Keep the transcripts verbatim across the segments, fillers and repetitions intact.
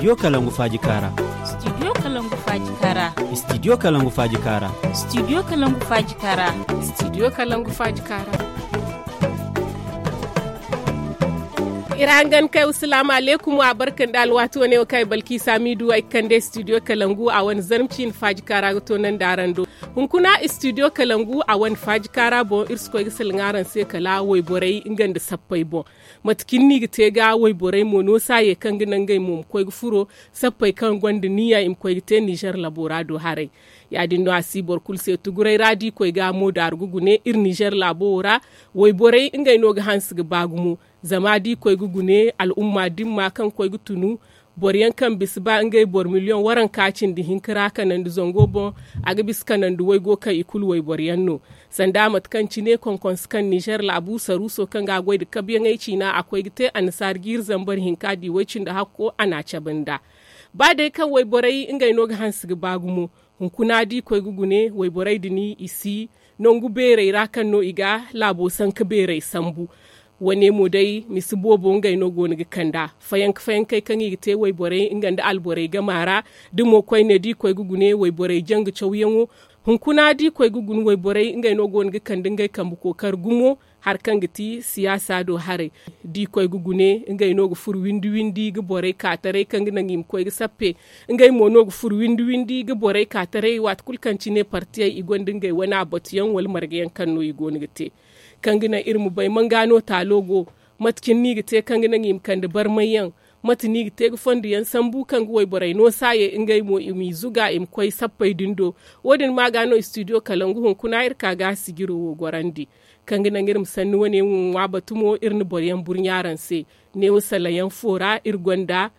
Studio kalangu faaji kaara. Studio kalangu faaji kaara. Studio kalangu faaji kaara. Studio kalangu faaji kaara. Studio kalangu faaji kaara. Iri hangan kay wasalaamu aleykum wa barka nda alwaati wane wo kaŋ ay balki saamiidu ay ga kande studio kalangu a wane zarma ciine faaji kaara ga toonandi araŋ do. Hunkuna studio kalangu a wane faaji kaara boŋ iri si koy ga salaŋ araŋ se kala wayborey nga nda sappey boŋ. Mate cine no i ga te ga wayborey mo no saaye kaŋ ga naŋ ngey mo ma koy ga furo sappey kaŋ gonda niya i ma koy ga te nizer labo ra do haray. Ya- din no a si boro kulu se tuguray ra da i koy ga mo daaru ga gune iri nizer laabo wo ra. Wayborey ngey no ga hanse ga ba gumo. Zama da i koy ga gune al'umma dimma kaŋ koy ga tunu boro yaŋ kaŋ bisa ba ngey boro miliyoŋ waranka cindi hinka ra kanandi zango boŋ, a ga bisa kanandi waygo kaŋ i kulu wayboro yaŋ no. Sanda mate kaŋ cine konkonse kaŋ nizer laabu saruuso kaŋ ga a goy nda kabuyaŋey ciina a koy ga te annasaara jiiri zambar hinka di way-cindi hakko a n'a cabe nd'a. Ba day kaŋ wayborey ngey no ga hanse ga ba gumo. Hunkuna da i koy ga gune wayborey din i si nangu beerey ra kaŋ no i ga laabo sanka beerey sambu. Wane mo day misa boobo ngey no go no ga kand'a fayanka fayankey kaŋ i ga te wayborey nga nda alborey gama ra. Da mo koyne da i koy ga gune wayborey janga cawyaŋo. Hunkuna da i koy ga gune wayborey ngey no go no ga kande ngey kambe kookari gumo. Hari kaŋ ga ti siyaasa do haray da i koy ga gune ngey no ga furo windi windi ga borey ka taray kaŋ ga naŋ i ma koy ga sappe. Ngey mo no ga furo windi windi ga borey ka taray waati kulu kaŋ cine partiyey i gonda ngey wane abatuyaŋ wala marga yaŋ kaŋ no i go no ga te. Kaŋ ga naŋ iri ma bay manga no taalo go. Mate cine no i ga te kaŋ ga naŋ i ma kande barmayyaŋ? Mate no i ga te ga fondo yaŋ sambu kaŋ ga wayborey no saaye ngey mo i m'i zuga i ma koy sappey din do. Wo- din ma ga no istidiyo kalangu hunkuna iri ka ga sijiro wo gorandi. Kaŋ ga naŋ iri ma sanni wane ŋwa batu mo iri na boro yaŋ burɲa araŋ se. Neewo salayaŋ fo ra iri gonda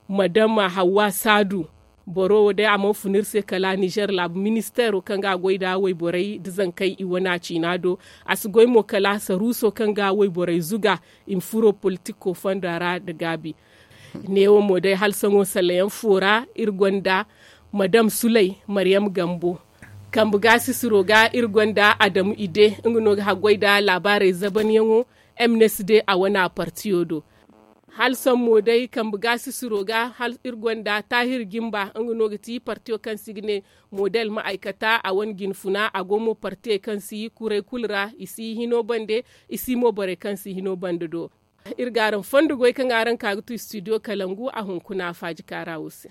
madama hawwa saadu. Boro wo day a mana fun iri se kala nizer laabu ministeero kaŋ ga a goy nda wayborey nda zankey i wana ciina do. A si goy mo kala saruuso kaŋ ga wayborey zuga i ma furo politiko fonda ra nda gaabi. Neewo mo day hala sohõ salayaŋ fo ra iri gonda madam sulay maryam gambo. Kambe gaasisiro ga iri gonda adamu ide nga no ga haggoy nda laabaarey zabanyaŋo. Mnsd a wana partiyo do. Hala sohõ mo day kambe gaasisiro ga hala iri gonda taahir jimba nga no ga ti partiyo kaŋ se i ga ne model ma'aykata a wane jinfuna a go mo partiyey kaŋ si kuray kulu ra i si hino bande. I si mo borey kaŋ si hino bande do. Iri ga araŋ fondo goy kaŋ araŋ ka ga tu istidiyo kalangu a hunkuna faaji kaara wo se.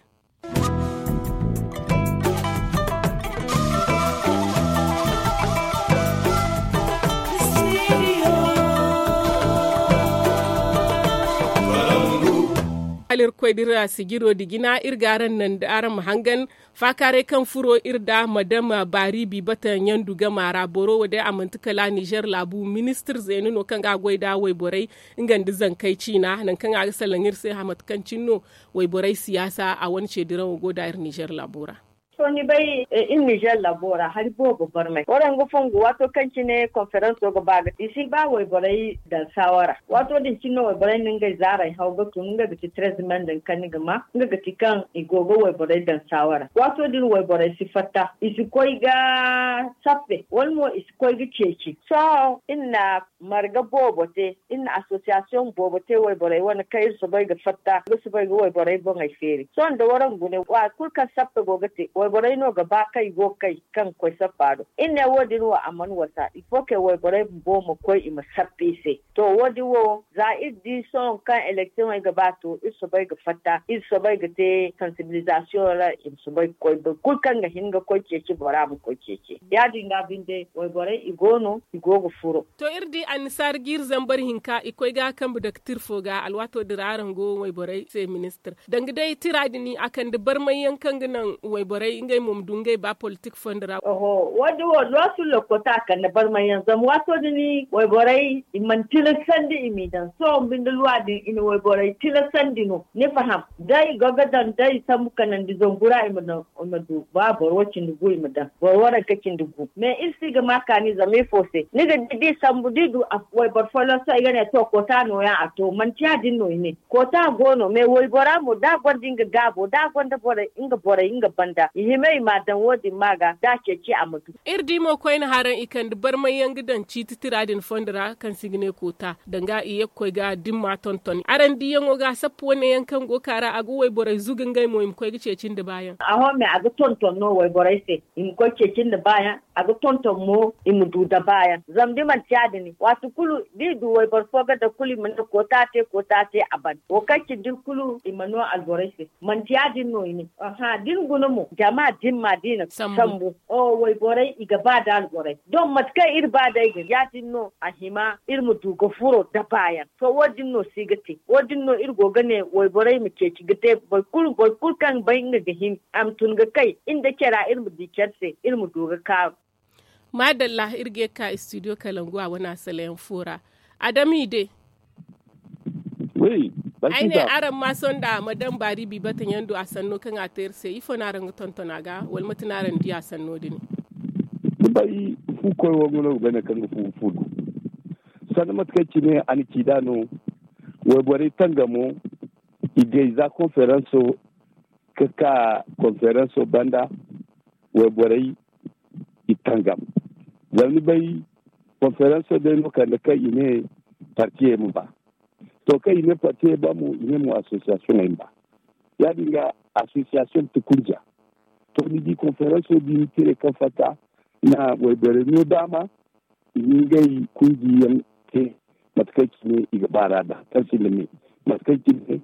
Hala iri koy da iri a sijiro nda jina iri ga araŋ naŋ da araŋ ma hangan. Faakaaray kaŋ furo iri nda madam baari bi bata ɲandu gama ra boro wo day a manti kala nizer laabu ministir zeene no kaŋ ga a goy nda wayborey nga nda zankey ciina nangu kaŋ a ga salaŋ iri se mate kaŋ cine no wayborey siyaasa a wane ceediraŋo go nda iri nizer laabo ra. To ni bay iri nizer laabo ra hari boobo barmay waraŋ ga fongu waato kaŋ cine konferanso ga ba ga i si ba wayborey daŋ saawara waato din cine no wayborey na ngey zaaray haw ga tun nga ga ti trez men din kaŋ ni ga ma nga ga ti kaŋ i go ga wayborey daŋ saawara waato din wayborey si fatta i si koy ga sappe wala mo i si koy ga ceeci sohõ iri na marga boobo te iri na asosiyasiyoŋ boobo te wayborey wane kaŋ iri soobay ga fatta ga soobay ga wayborey boŋey feeri sohõ nda waraŋ gune waati kulu kaŋ sappe go ga te wayborey no ga ba kaŋ i go ga kay kaŋ ga koy sappa do iri ne wo- din wo a mana wasa il faut que wayborey bumbo ma koy i ma sappa i se. To wo- din wo za iri di sohõ kaŋ elektiyoŋey ga ba to iri soobay ga fatta iri soobay ga te sansibilizasiyoŋ ra i ma soobay ga koy boro kulu kaŋ ga hin ga koy ceeci bora ma koy ceeci ya- din ga binde wayborey i go no i go ga furo. To iri di annasaara jiiri zambar hinka i koy ga kambe daktir fo ga alwaato din ra araŋ go wayborey se ministir danga day tira din a kande barmay yaŋ kaŋ ga naŋ wayborey ngey mo ma du ngey ba politik fondo ra. Oho wo- din wo loosu lokota a kande barmay yaŋ zama waato din wayborey i mana tilasandi i m'i daŋ sohõ binde luwa din i na wayborey tilasandi no ni faham da i go ga daŋ da i sambu kanandi zangu ra i ma daŋ i ma du ba boro wo cindi gu i ma daŋ boro wo ranka cindi gu mais iri si ga ma kaani zama ifo se ni ga di da i sambu da i du wayboro folloŋ sohõ i ga ne to koota nooyaŋ a to manti ya- din no i ne koota go no mais waybora mo da a gonda nga gaabo da a gonda borey nga borey nga banda. Hima i m'a daŋ wo- din ma ga da a ceeci a ma du. Iri di mo koyne haraŋ i kande barmay yaŋ ga daŋ ciiti tira din fondo ra kaŋ se i ga ne koota danga i ye ga koy ga dimma tonton araŋ diyaŋo ga a sappu wane yaŋ kaŋ go ga ka ra a ga wayborey zuga ngey mo i ma koy ga ceeci nda baayaŋ. Aho me a ga tonton no wayborey se i ma koy ceeci nda baayaŋ. A ga tonton mo i ma du da baayaŋ zama da i manti ya- din waati kulu da i du wayboro fo ga daŋ kulu i ma ne koota te koota te a ban wo kaŋ cindi kulu i ma no alborey se. Manti ya- din no i ne. Aha da ni guna mo jama dimma da i na sambu. Wayborey i ga ba da alborey don mate kaŋ iri ba day din ya- din no a hima iri ma du ga furo da baayaŋ. To wo- din no si ga te wo- din no iri go ga ne wayborey ma ceeci ga te boro kulu kaŋ bay nga ga hin a ma tun ga kay iri nda care ra iri ma di care se iri ma du ga kaaru. Maadalla iri ga ye ga ka istidiyo kalangu a wane asalayaŋ fo ra. Adami de. Ay ne araŋ ma sonda madam baari bi bata ɲandu a sanno kaŋ a te iri se ifo no araŋ ga tonton a ga wala mate no araŋ di a sanno din? Ni bay fu koy wo nga no ga bay nangu kaŋ ga fu ga fu du. Sanda mate kaŋ cine a na ci nd'a no. Wayborey tangamo i gay za konferanso ga ka konferanso banda. Wayborey i tangam. Zama ni bay konferanso day no kande kaŋ i ne partiyey ma ba. To kaŋ i ne partiyey ba mo i ne mo asosiyasiyoŋey ma ba. Ya- din ga asosiyasiyoŋ ti kunja. To ni di konferanso di ni tire kaŋ fatta na wayborey no daama i na ngey kunjiyaŋ te. Mate kaŋ cine i ga baara da kaŋ sinda me mate kaŋ cine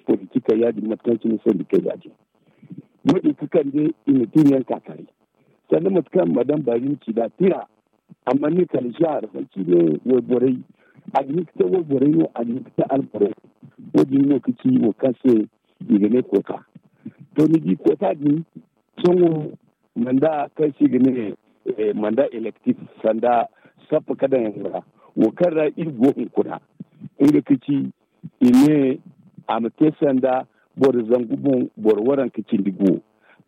politikey ya- din mate kaŋ cine sendikey ya- din. Wo- din ga kande i ma tun yaŋ ka taray sanda mate kaŋ madam baari na ci nd'a tira. Amma ne kala zaari manti ne wayborey a ga hin ga te wayborey no a ga hin ga te alborey. Wo- din no ga ci wo kaŋ se i ga ne koota. To ni di koota din sohõ manda kaŋ se i ga ne manda elektif sanda sappa ka daŋ yaŋ ra wo kaŋ ra iri go hunkuna. Nga ga ci i ne a ma te sanda boro zangu boŋ boro waranka cindi go.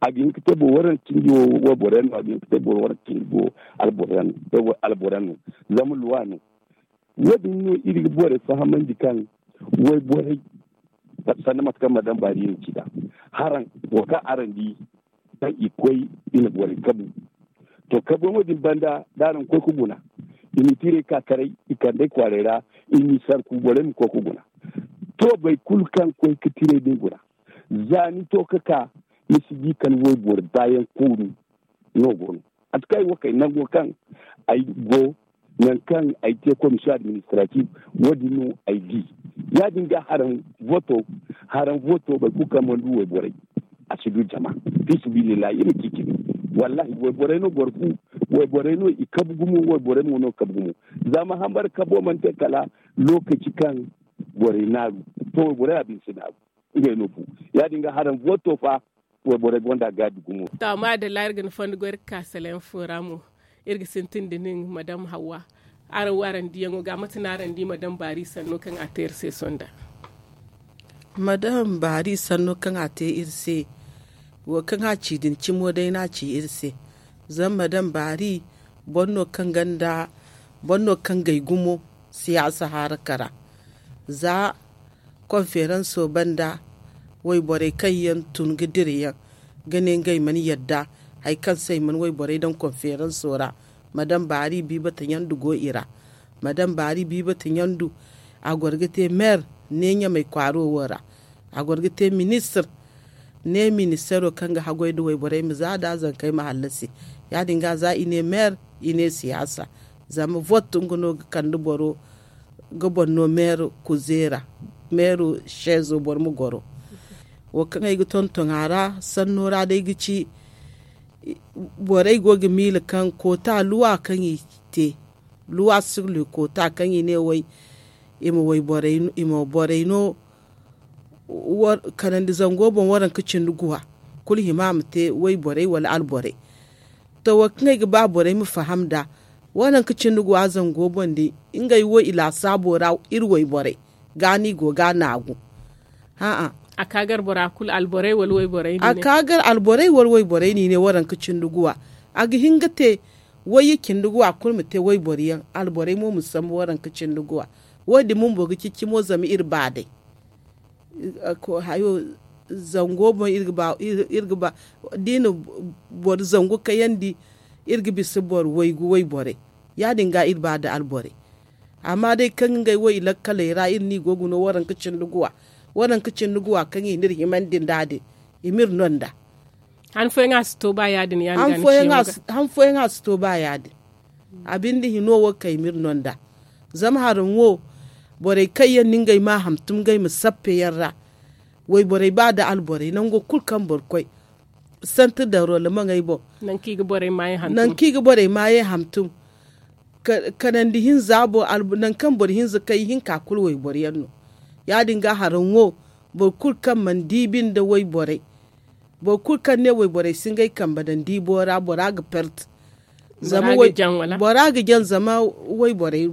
A ga hin ga te boro waranka cindi wo wayboro yaŋ no a ga hin ga te boro waranka cindi go. Alboro yaŋ no zama luwa no. Wo- din no iri ga borey fahamandi kaŋ wayborey sanda mate kaŋ madam baari iri na ci nd'a haraŋ wo kaŋ araŋ di kaŋ i koy i na borey kabu. To kabuyaŋo din banda da araŋ koy ga guna i ma i tiirey ka karay i kand'ey kwaaray ra i ma i sarku borey ma koy ga guna. To boro kulu kaŋ koy ga tiirey din guna za ni to ga ka ni si di kala wayboro baayaŋ kooru. No go no a si kay wo kay nango kaŋ ay go nangu kaŋ ay te komisiyoŋ administratif wo- din no ay di. Ya- din ga haraŋ voto haraŋ voto boro kulu kaŋ mana du wayborey a si du jama. Fi sabilillahi iri ma ci cine. Wallahi wayborey no boro fu wayborey no i kabu gumo wayborey mo no kabu gumo. Zama hambara kabo mana te kala lokaci kaŋ borey naaru to wayborey a bine si naaru. Ngey no fu ya- din ga haraŋ voto fa wayborey gonda gaabi gumo. To amma da laari ga ni fondo goy iri ga ka salayaŋ fo ra mo iri ga sintin da nin madam hawwa. Araŋ wo araŋ diyaŋo ga mate no araŋ di madam baari sanno kaŋ a te iri se sonda? Madam baari sanno kaŋ a te iri se wo kaŋ a ci din cimo day no a ci iri se. Zama madam baari boro no kaŋ ganda boro no kaŋ gay gumo siyaasa haraka ra. Za konferanso banda wayborey kaŋ yaŋ tun ga dira yaŋ ga ne ngey mana yadda hari kaŋ se i mana wayborey daŋ konferanso ra. Madam baari biibata ɲandu go i ra. Madam baari biibata ɲandu a goro ga te meer ne ɲamey kwaaro wo ra. A goro ga te ministir ne ministero kaŋ ga haggoy nda wayborey ma za nda zankey ma hallasi. Ya- din ga za i ne meer i ne siyaasa. Zama vot nga no ga kande boro ga boro no meero kuzeera meero seezo boro ma goro. Wo kaŋ ay ga tonton a ra sanno ra day ga ci borey go ga miila kaŋ koota luwa kaŋ i te luwa sirli koota kaŋ i ne way i ma borey no kanandi zango boŋ waranka cindi guwa kulu hima a ma te wayborey wala alborey. To wo kaŋ ay ga ba borey ma faham nd'a waranka cindi guwa zango boŋ din ngey wo i laasaabo ra iri wayborey ga no i go ga naagu. Hã'a a ka gar bora kulu alborey wala wayborey no i ne waranka cindi guwa. A ga hin ga te wayye cindi guwa kulu ma te wayboro yaŋ alborey mo ma sambu waranka cindi guwa. Wo- din bumbo ga cicimo zama iri ba day. Hayo zango boŋ iri ga ba da i na boro zangu kayandi. Iri ga bisa boro waygu wayborey ya- din ga iri ba nda alborey. Amma day kaŋ ngey wo i lakkaley ra iri no i go ga no waranka cindi guwa. Waranka cindi guwa kaŋ i n'iri himandi nd'a din i m'iri no nd'a. Han fooyaŋ a si to ba ya- din ya- din ga ni ciyaŋ ga han fooyaŋ a si to ba ya- din. A binde hino wo kaŋ i m'iri no nd'a. Zama haraŋ wo borey kaŋ yaŋ no ngey ma a hantum ngey ma sappe yaŋ ra. Wayborey ba nda alborey nango kulu kaŋ boro koy santir da rolemaŋey boŋ. Nangu kaŋ i ga borey maayey hantum. Kanandi hinza boŋ. Nangu kaŋ boro hinza kay ihinka kulu wayboro yaŋ no. Ya- din ga haraŋ wo boro kulu kaŋ mana diibi nda wayborey. Boro kulu kaŋ ne wayborey si ngey kambe daŋ diibo ra bora ga perte. Zama bora ga jaŋ zama wayborey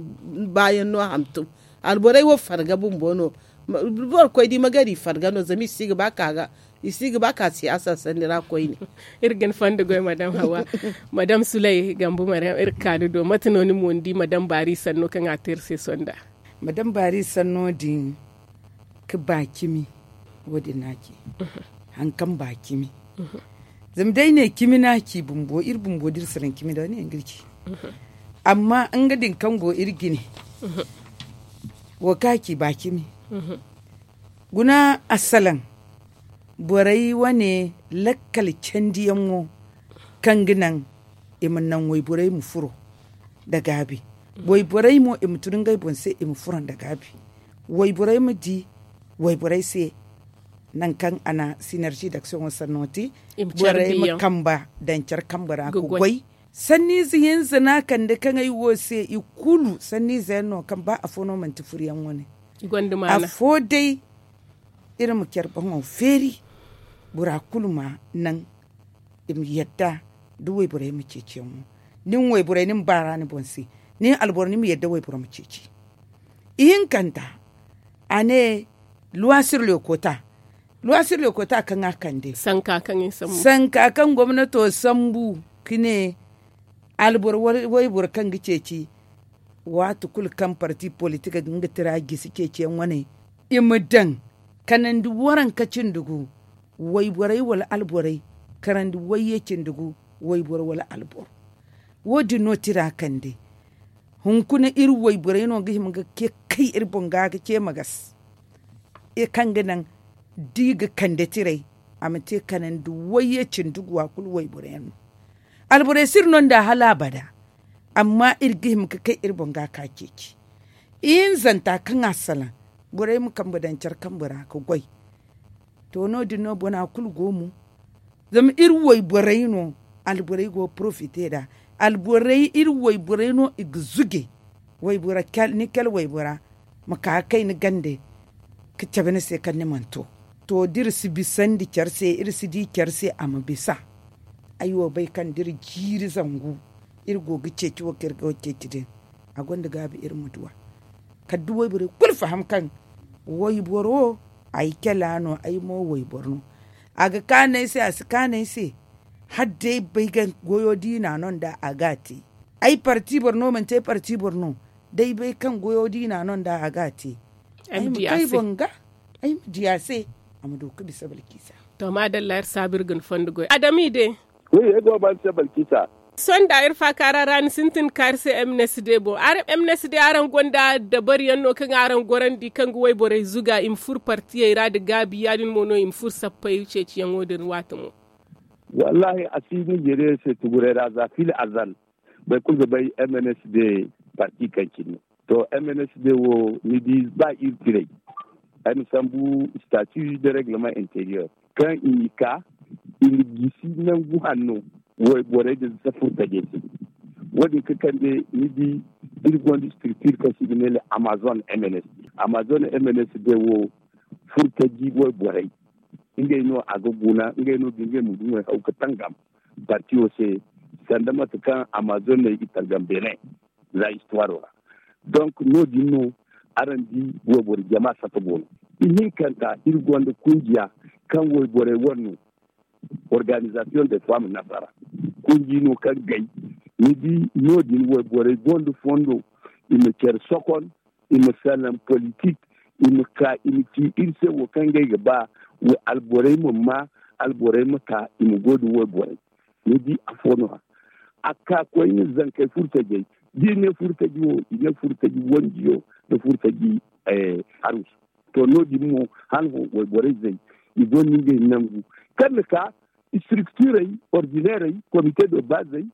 baayaŋ no hantum. Alborey wo farga bumbo no. Boro koy da i ma gar i farga no zama i si ga ba ka ga i si ga ba ka siyaasa sanni ra koyne. Iri ga ni fondo goy madam hawa. Madam sulay gambu maryam iri ga ka ni do mate no ni mo ni di madam baari sanno kaŋ a te iri se sonda? Madam baari sanno din ga ba cimi. Wo- din no a ci hari kaŋ ba cimi. Zama day ne cimi no a ci bumbo iri bumbo da iri si daŋ cimi da wane yaŋ ga iri ci. Amma nga din kaŋ go iri jine wo kaŋ a ci ba cimi. Guna assalaŋ borey wane lakkal candiyaŋo kaŋ ga naŋ i ma naŋ wayborey ma furo nda gaabi. Wayborey mo i ma tun ngey boŋ se i ma furo nda gaabi. Wayborey ma di wayborey se nangu kaŋ a na sinergi daksiyoŋo sanno te. Borey ma kamba daŋ care kambe ra ga goy. Sanniize hinza no a kande kaŋ ay wo se i kulu sanniize yaŋ no kaŋ ba afo no manti furyaŋ wane. Afo day iri ma care boŋo feeri bora kulu ma naŋ i ma yadda da wayborey ma ceeciyaŋo. Nin wayborey ni ma baara ni boŋ se nin alboro ni ma yadda wayboro ma ceeci. Ihinkanta a ne luwasir leekota luwasir leekota kaŋ a kande sanka kaŋ gomnato sambu ka ne alboro wayboro kaŋ ga ceeci. Waati kulu kaŋ parti politik ga nga tira gisi ceeciyaŋ wane i ma daŋ kanandi waranka cindi gu wayborey wala alborey karandi wayye cindi gu wayboro wala alboro. Wo- din no tira kande hunkuna iri wayborey no ga hima ga kay iri boŋ ga ga ce ma gas kaŋ ga naŋ da i ga kande tirey a ma te kanandi wayye cindi gu wa kulu wayboro yaŋ no. Alborey si iri no nda hala abada. Amma iri ga hima ga kay iri boŋ ga ka ceeci ihinzanta kaŋ a salaŋ borey ma kambe daŋ care kambe ra ga goy. To no- din no bona kulu go mo zama iri wayborey no alborey go ga porofite nd'a. Alborey iri wayborey no i ga zuge waybora ni kala waybora ma ka ga kay ni gande ga cabe ni se kaŋ ni mana to. To da iri si bisandi care se iri si di care se a ma bisa. Ay wo bay kaŋ da iri jiiri zangu iri go ga ceeci wo kaŋ iri ga wo ceeci din a gonda gaabi iri ma duw'a. Kala da wayborey kulu faham kaŋ wayboro ay kela no ay mo wayboro no. A ga kaanu ay se a si kaanu ay se hala day bay ga goyo diina no nda a ga a te. Ay parti boro no manti ay parti boro no day bay kaŋ goyo diina no nda a ga a te. Ay ma kay boŋ ga ay ma di a se a ma du ga bisa balkisa. To maadalla iri saabu iri ga ni fondo goy adami de. Wi ay go ga ba ni se balkisa. Sonda iri faakaara ra ni sintin kaari se m n s d boŋ. M n s d araŋ gonda dabariyaŋ no kaŋ araŋ gorandi kaŋ ga wayborey zuga i ma furo partiyey ra nda gaabi ya- din mo no i ma furo sappey ceeciyaŋo din waati mo. Wallaahi a si ni jeeriyey se tuguray ra za fil azal. Boro kulu ga bay m n s d parti kaŋ cine no. To m n s d wo ni di ba iri tiray ay ma sambu statu de reglement interieur kaŋ i n'i ka i na gisi nangu hanno wayborey din za furtajey se. Wo- din ga kande ni di iri gonda structure kaŋ se i ga ne le amazon m n s d amazon m n s d wo furtaji wayborey ngey no a ga guna ngey no ga ngey ma du ŋway haw ga tangam. Partiyo se sanda mate kaŋ amazon no i ga tangam benin za histoire ra. Donc no- din no araŋ di wayboro jama sata go no. Ihinkanta iri gonda kungiya kaŋ wayborey wane no organisation de femme nasara. Kungi no kaŋ gay ni di no- din wayborey gonda fondo i ma care sokon i ma salaŋ politik i ma ka i ma ci iri se wo kaŋ ngey ga ba. Alborey ma maa, alborey ma ka i ma go da wayborey. Ni di afo no- ya a ka koyne zankey furtajey, da i ne furtaji wo i ne furtaji wanjiyo, nda furtaji harusu. To no- din mo hala fo wayborey zay i gonda ngey nangu kaŋ na ka structurey, ordinerey, komite de bazey,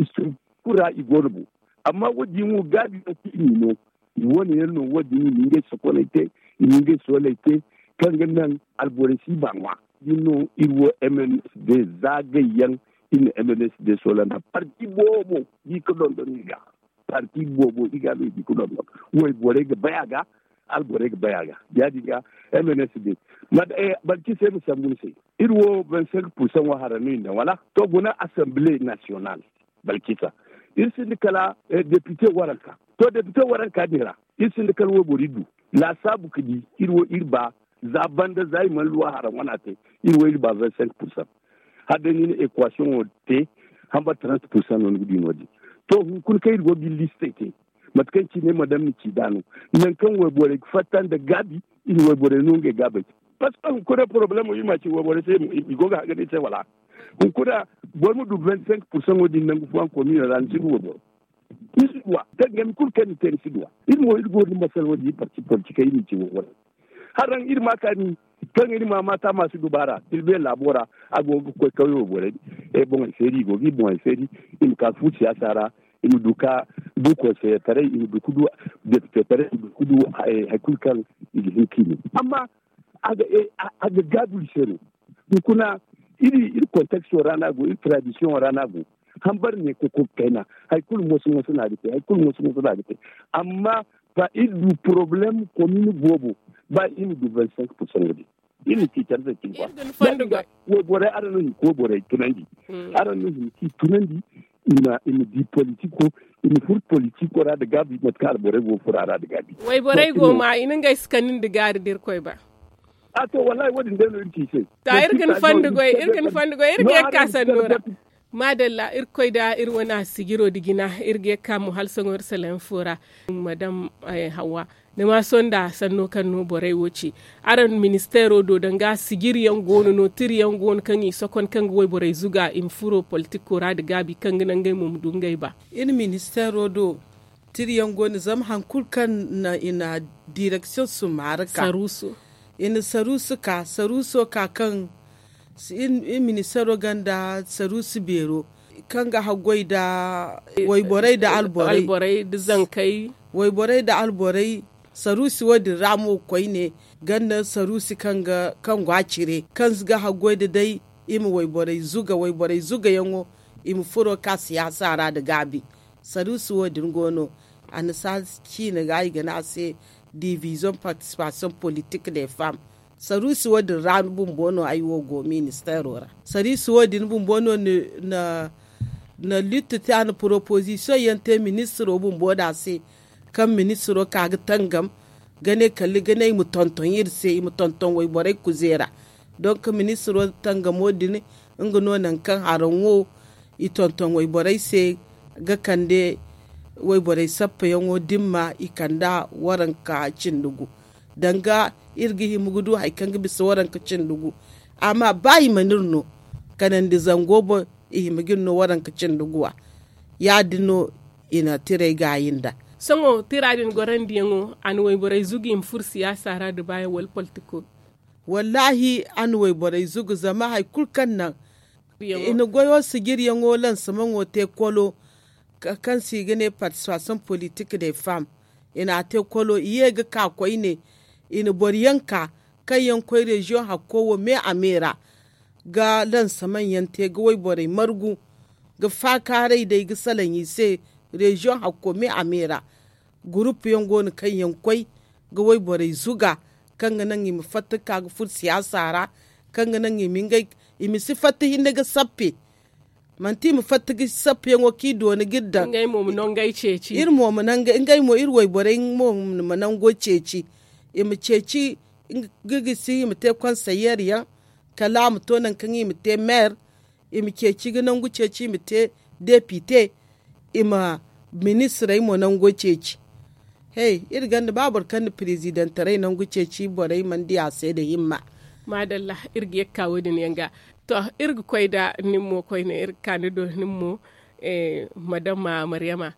structure ra i go no bo. Amma wo- din wo gaabi no kaŋ i n'i no. I wane yaŋ no wo- din i na ngey sokoney te, i na ngey sooley te, kaŋ ga naŋ alborey si ba ŋwa. Din no iri wo mnsd zaagay yaŋ, iri na mnsd soola nda parti boobo, di ga dondon i ga parti boobo i ga no i di ga dondon. Wayborey ga bay a ga, alborey ga bay a ga. Ya- din ga mnsd, balcise ma sambu ni se, iri wo vingt cinq pursan wo hara no i na daŋ wala? To guna assemblee national, balcisa, iri sinda kala depite waranka. To depite waranka din ra iri sinda kala wayboro iri du laasaabu ga di iri wo iri ba, za banda za i mana luwa hara wana te, iri wo iri ba vingt cinq pursan. Hala day ni na equation wo te, hamba trente pursan no ni ga di no- din. To hunkuna kaŋ iri go ga iri listey te, mate kaŋ cine madam na ci nd'a no, nangu kaŋ wayborey ga fatta nda gaabi, iri wayborey no ngey gaabey. Parceque hunkuna problemo iri ma a ci wayborey se, i go ga haga no iri se wala? Hunkuna boro ma du vingt cinq pursan wo- din nangu fooyaŋ koomino ra ni si du wayboro. Ni si duw'a, tangami kulu kaŋ ni te ni si duw'a. Iri mo iri go ga masal wo- din iri parti politikey iri ma ci wayborey. Haraŋ iri ma a kaani, kaŋ iri ma a maata ma si dubaara tilbe laabo ra. A go ga koy kawyo borey, boŋey feeri i go ga i boŋey feeri, i ma ka fu siyaasa ra, i ma du ka du konseyetaray, i ma du ka du depitetaray, i ma du ka du hari kulu kaŋ i ga hin ka i ne. Amma a ga gaabu iri se no. Hunkuna iri iri konteksto ra no a go, iri tradisiyoŋo ra no a go. Hambari ne kokoka kayna, hari kulu moso moso no a ga te, hari kulu moso moso no a ga te. Amma ba iri du porobalem komin boobo, ba iri ma du vingt cinq pursan wo- din, iri ma ci care se cine. Wayborey araŋ no hin ga wayborey tunandi. Araŋ no hin ga i tunandi, i ma di politiko, i ma furo politiko ra nda gaabi mate kaŋ alborey go ga furo a ra nda gaabi. Wayborey go ma i na ngey si kande nda gaari da irkoy ba. A to wallahi wo- din day no iri ci i se. To iri ga ni fondo goy iri ga ni fondo goy iri ga ye ga ka sanno ra. Maadalla irkoy da iri wane sijiro nda jina. Iri ga ye ga ka mo hala sohõ iri salayaŋ fo ra. Madam, hawwa, ni ma sohõ nda sanno kaŋ no borey wo ci. Araŋ ministeero do danga sijiri yaŋ go no no tiri yaŋ go no kaŋ i sokon kaŋ ga wayborey zuga i ma furo politiko ra nda gaabi kaŋ ga naŋ ngey mo ma du ngey ba? Iri ministeero do tiri yaŋ go no zama hari kulu kaŋ i na direksiyoŋ summaari ka i na saruusu ka saruuso ka kaŋ iri ministeero gonda saruusu beero kaŋ ga haggoy nda wayborey nda alborey nda zankey, wayborey nda alborey. Saruusi wo- din ra mo koyne gonda saruusi kaŋ go a cire kaŋ ga haggoy nda day i ma wayborey zuga wayborey zugayaŋo i ma furo ka siyaasa ra nda gaabi. Saruusi wo- din go no annasaara ciine ga i ga ne a se division partisipasiyoŋ politik de fam. Saruusi wo- din ra bumbo no ay wo go ministeero ra. Saruusi wo- din bumbo no na litti te a na poropozisiyoŋ yaŋ te ministiro bumbo da se kaŋ ministiro ka ga tangam ga ne kala ga ne i ma tonton iri se i ma tonton wayborey kuzeera. Donk ministiro tangamo din nga no nangu kaŋ haraŋo i tonton wayborey se ga kande wayborey sappayaŋo dimma i kand'a waranka cindi gu. Danga iri ga hima ga du hari kaŋ ga bisa waranka cindi gu. Amma ba i mana iri no kanandi zango boŋ i hima ga iri no waranka cindi guwa. Ya- din no i na tirey gaayi nd'a. Sohõ tira din gorandiyaŋo a na wayborey zugu i ma furo siyaasa ra nda baayaŋ wala politiko? Wallaahi a na wayborey zugu zama hari kulu kaŋ naŋ i na goyo sijiriyaŋo lansamaŋo te kolo kaŋ se i ga ne partisipasiyoŋ politik de fam. I n'a te kolo i ye ga ka koyne i na boro yaŋ ka kaŋ yaŋ koy reziyoŋ hakko wo me a me ra ga lansamaŋ yaŋ te ga wayborey margu ga faakaaray day ga salaŋ i se. Reziyoŋ hakko me a me ra gurupu yaŋ go no kaŋ yaŋ koy ga wayborey zuga kaŋ ga naŋ i ma fatta ga ka ga furo siyaasa ra kaŋ ga naŋ i ma ngey i ma si fatta hinne ga sappe. Manti i ma fatta ga sappeyaŋo kaŋ i doona ga iri daŋ. Ngey mo ma nangey ceeci iri mo ma nangey ngey mo iri wayborey mo ma nango ceeci. I ma ceeci ga gisi i ma te konseyeer yaŋ kala a ma to nangu kaŋ i ma te meer. I ma ceeci ga nangu ceeci i ma te depite i ma ministirey mo nango ceeci. Hey iri gonda ba boro kaŋ na pirezidantarey nangu ceeci borey mana di a se nda himma. Maadalla. Iri ga ye ga ka wo- din yaŋ ga. To, iri ga koy nda nin mo koyne iri ga ka ni do nin mo. Madama maryama,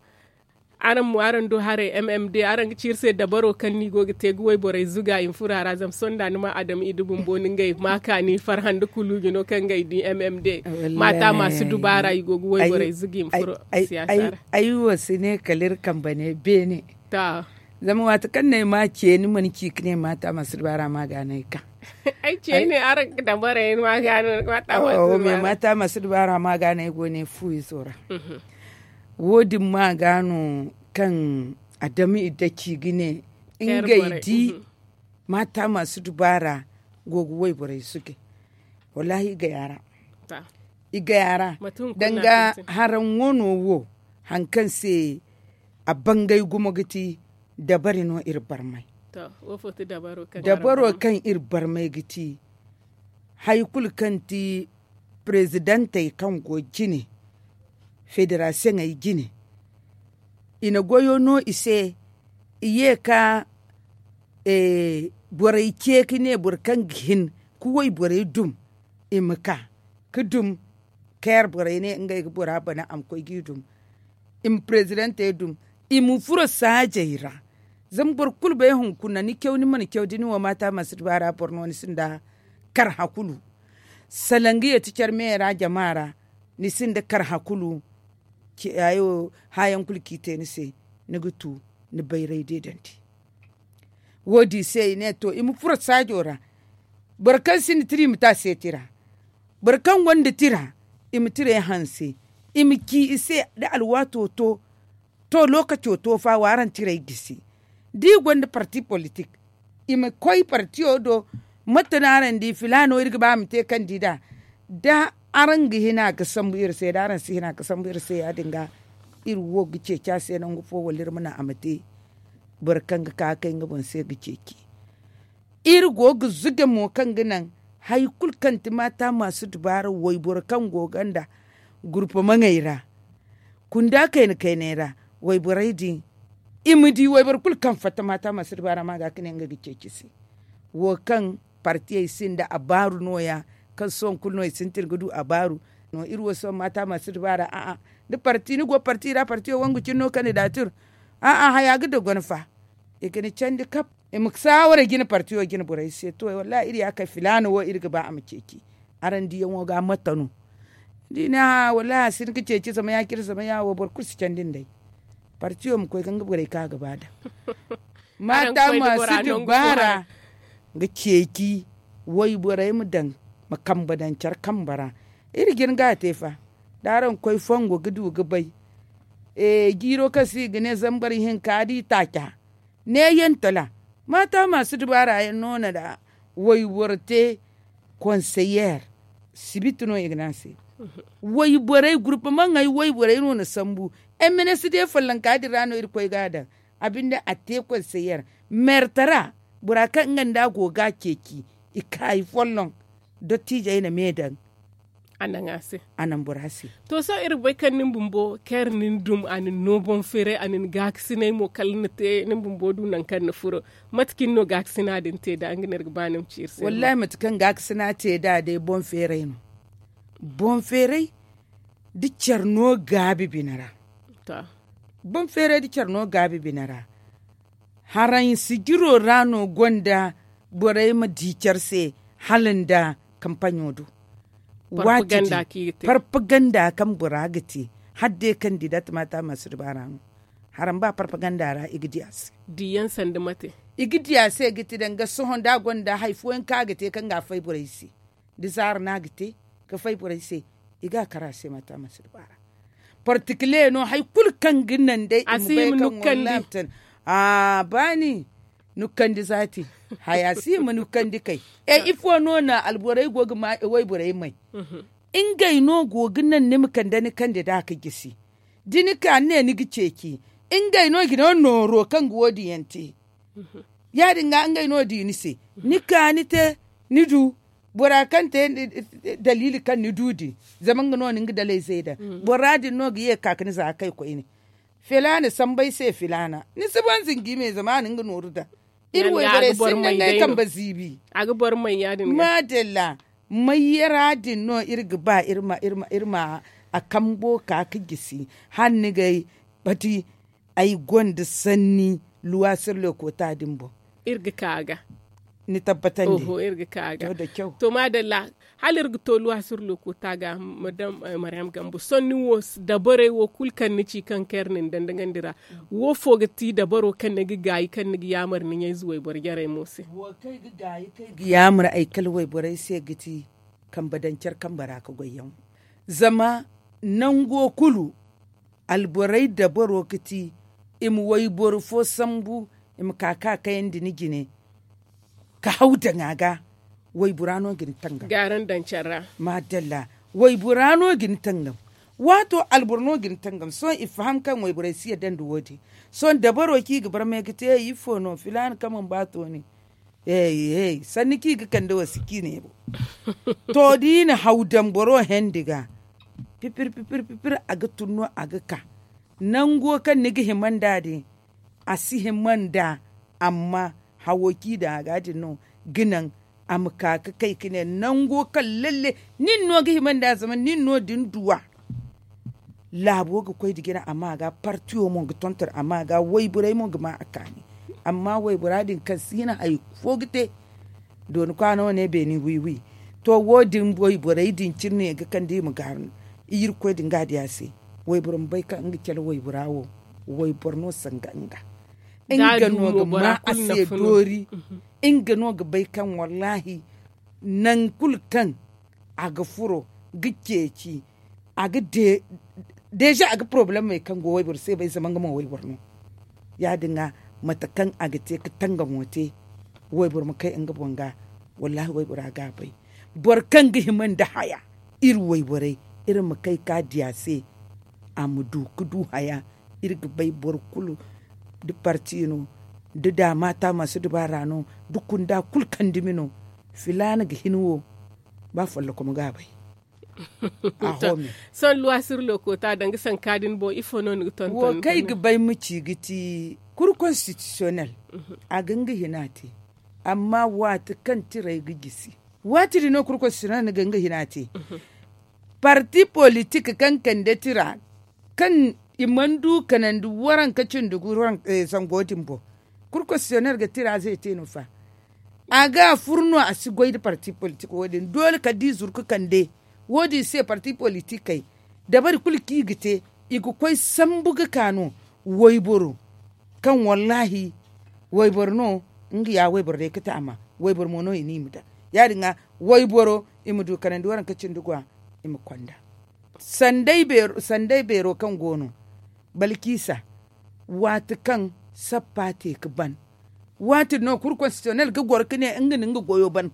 araŋ mo araŋ du haray m m d araŋ ga ci iri se dabaro kaŋ no i go ga te ga wayborey zuga i ma furo a ra zama sohõ da ni ma adama i du bumbo no ngey ma kaani farhã nda kuluuji no kaŋ ngey di m m d. Maata ma si dubaara i go ga wayborey zuga i ma furo siyaasa ra. Ay wo si ne kala iri kambe ne beene. Zama waati kaŋ no ay ma ce ni mana ci ga ne maata ma si dubaara ma ga no ay ka. Ay ce ne araŋ ga dabaray ni ma ga no maata ma si dubaara ma ga no ay go ne fu izo ra. Wo- din ma ga no kaŋ adama i daci ga ne ngey di maata ma si dubaara go ga wayborey zugay. Wallaahi i gay a ra. I gay a ra. Danga haraŋ wano wo haŋ kaŋ se a bangay gumo ga ti dabari no iri barmay. Dabaro kaŋ iri barmay ga ti hari kulu kaŋ ti parezidantey kaŋ go jine federasiyoŋey jine i na goyo no i se. I ye ka borey ce ka ne boro kaŋ ga hin ka wayborey dum i ma ka ka dum. Keer borey ne ngey ga bora bana a ma koy g'i dum. I ma parezidantey dum i ma furo saajey ra. Zama boro kulu bay hunkuna ni caw ni mana caw da ni wo maata ma si dubaara boro no ni sinda karhã kulu. Salaŋ ga ye ti care me ra jama ra ni sinda karhã kulu. Hãyaŋ kulu kaŋ i te ni se ni ga tu ni bayray deedandi. Wo- din se i ne to i ma furo saajo ra. Boro kaŋ sinda tira i ma te a se tira. Boro kaŋ gonda tira i ma tirey hanse i ma ci i se da alwaato to. To lookaco to fa wa araŋ tirey gisi da i gonda parti politik i ma koy partiyo do. Mate no araŋ di filaano iri ga ba a ma te kandida da araŋ ga hina ga sambu iri se da araŋ si hina ga sambu iri se ya- din ga iri wo ga ceeci a se nangu fo wala iri ma naŋ a ma te. Boro kaŋ ga ka kay nga boŋ se ga ceeci iri go ga zuge mo kaŋ ga naŋ hari kulu kaŋ ti maata ma si dubaara wayboro kaŋ go ganda gurpa maŋey ra kunda kayna kayney ra wayborey din i ma di wayboro kulu kaŋ fatta maata ma si dubaara ma ga ka ne nga ga ceeci se. Wo kaŋ partiyey sinda abaaru no- ya kaŋ sohõ kulu no i sintin ga du abaaru. Iri wo sohõ maata ma si dubaara a'a da parti ni go parti ra partiyo wangu cine no kandidaatir. A'a haya ga dogon fa i ga ni candi kab. I ma saawara jina partiyo jina borey se to wallaahi iri ya kay filaana wo iri ga ba a ma ceeci. Araŋ diyaŋo ga a mate no da i ne hã wallaahi a si hin ga ceeci zama ya- cine zama ya- wo boro kulu si candi nd'ey. Partiyo ma koy ga nga borey kaŋ a ga ba daŋ maata ma si dubaara ga ceeci wayborey ma daŋ ma kambe daŋ care kambe ra. Iri jin ga a te fa da araŋ koy fongo ga du ga bay. Jiiro kaŋ se i ga ne zambar hinka da i taaca ne yantala maata ma si dubaara yaŋ no na da wayboro te konseyer sibiti no i ga ne a se. Wayborey gurpa maŋey wayborey no na sambu. M n s d follonka din ra no iri koy ga a daŋ a binde a te konseyer meertara bora kaŋ nga nda a go ga a ceeci i kaayi folloŋ. Dottiijey na me daŋ a naŋ a se. A naŋ bora se. To sohõ iri ga bay kaŋ nin bumbo kaŋ iri nin dum a nin no boŋ feeray a nin gaakasinay mo kala ni te nin bumbo du nangu kaŋ ni furo. Mate cine no gaakasina din te nd'a nga no iri ga ba ni ma ci iri se wallaahi mate kaŋ gaakasina te nd'a day boŋ feeray no. Boŋ feeray da care no gaabi bine ra. Boŋ feeray da care no gaabi bine ra. Haraŋ sijiro ra no gonda borey ma di care se hala nda kampaɲo do. Parpaganda kaŋ bora ga te hala day kaŋ di datamaata ma si dubaara no. Haraŋ ba parpaganda ra i ga di a se. I ga di a se ga ti danga sohõ da a gonda hari fooyaŋ kaŋ a ga te kaŋ ga a fay borey se da zaara no a ga te ga fay borey se. I ga a kar a se maata ma si dubaara. Partikile no hari kulu kaŋ ga naŋ day i ma bay kaŋ wallahatan. A baani nukkandi zaati. Haya si hima nukkandi kay. E ifo no na alborey go ga ma wayborey may? Ngey no go ga naŋ ni ma kande ni kande da ga gisi. Da ni ka ni ne ni ga ceeci ngey no i ga ne nooro kaŋ ga wo- din yaŋ te. Ya- din ga ngey no di ni se ni ka ni te ni du. Bora kaŋ te daliili kaŋ ni du din zama nga no na nga dalay zay daŋ. Bora din no ga ye ga ka ga ni za kay koyne. Filaana sambu ay se filaana ni si ban zingi me zama a na nga nooru daŋ. Iri wayborey sinda ngey kambe ziibi. A ga boro may ya- din ga maadalla. Mayyara din no iri ga ba iri ma a kambo ka ga gisi hala ni ga ay bati. Ay gonda sanni luwasir lokota din boŋ. Iri ga ka ga ni tabbatandi. Oho iri ga ka ga. To maadalla. Hala iri ga to luwasir lokota ga madam maryam gambo sohõ ni wo dabarey wo kulu kaŋ ni ci kaŋ kaŋ iri na ni dandagandi ra. Wo fo ga ti dabaro kaŋ ni ga gaayi kaŋ ni ga yaamar ni ɲayze wayboro jarey mo se? Wo kaŋ ay ga gaayi kaŋ ay ga yaamar ay kala wayborey se ga ti kambe daŋ care kambe ra ga goy yaŋ. Zama nango kulu alborey dabaro ga ti i ma wayboro fo sambu, i ma ka ka kayandi ni jine ka haw daŋ a ga. Waybora no ga ni tangam. Gaaran daŋ care ra. Maadalla. Waybora no ga ni tangam. Waato alboro no ga ni tangam sohõ i faham kaŋ wayborey si yadda nda wo- din. Sohõ dabaro kaŋ i ga barmay ga te ifo no filaana kaŋ mana ba tooni. Sanni kaŋ i ga kande wo si ciine boŋ. To da i na haw daŋ boro hendi ga pipir pipir pipir a ga tun no a ga ka. Nango kaŋ ni ga hima nd'a din a si hima nd'a. Amma hawo kaŋ i daŋ a ga din no ga naŋ a ma ka ga kay ga ne nango kaŋ lalle nin no ga hima nd'a zama nin no din duw'a. Laabo ga koy nda jina a ma ga partiyo mo ga tonton a ma ga wayborey mo ga ma a kaani. Amma waybora din kaŋ si hin hari fo ga te. Dooni kwaano ne beeni wiiwi. To wo- din wayborey din cine ga kande i ma gaaru. Irkoy din ga a di a se. Wayboro ma bay kaŋ nga cale waybora wo wayboro no sanga nga. Nga no ga ma a se doori. Nga no ga bay kaŋ wallaahi nangu kulu kaŋ a ga furo ga ceeci a ga deeza a ga porobalemey kaŋ go wayboro se bay zama nga mo wayboro no. Ya- din ga mate kaŋ a ga te ga tangamo te wayboro ma kay nga boŋ ga. Wallaahi waybora ga a bay. Boro kaŋ ga hima nda haya iri wayborey iri ma kay ka di a se. A ma du ga du haya. Iri ga bay boro kulu da parti no da daama taamasu dubaara no da kunda kulu kaŋ dumi no. Filaana ga hin wo ba follokom ga a bay. Sohõ luwasir lookota danga sanka din boŋ ifo no ni ga tonton wo kaŋ ay ga bay ma ci ga ti kuru konstitisiyonel. A ga nga hina te amma waati kaŋ tiray ga gisi waati din no kuru konstitisiyonel ni ga nga hina te. Parti politik kaŋ kande tira kaŋ i mana du kanandi waranka cindi gu zango din boŋ. Kuru konstitisiyonel ga tira zey te no fa? A ga a furu no a si goy nda parti politik wo- din doole kala da i zuru ga kande. Wo- din se parti politikey dabari kulu kaŋ i ga te i ga koy sambu ga ka no. Wayboro kaŋ wallaahi wayboro no nga ya wayboro day ga taama. Wayboro mo no i ne i ma daŋ ya- din ga wayboro i ma du kanandi waranka cindi gwa. I ma konda sanday beero kaŋ go no balkiisa waati kaŋ sappa te ga ban. Waati din no kuru konstitisiyonel ga goro ga ne nga na nga goyo ban.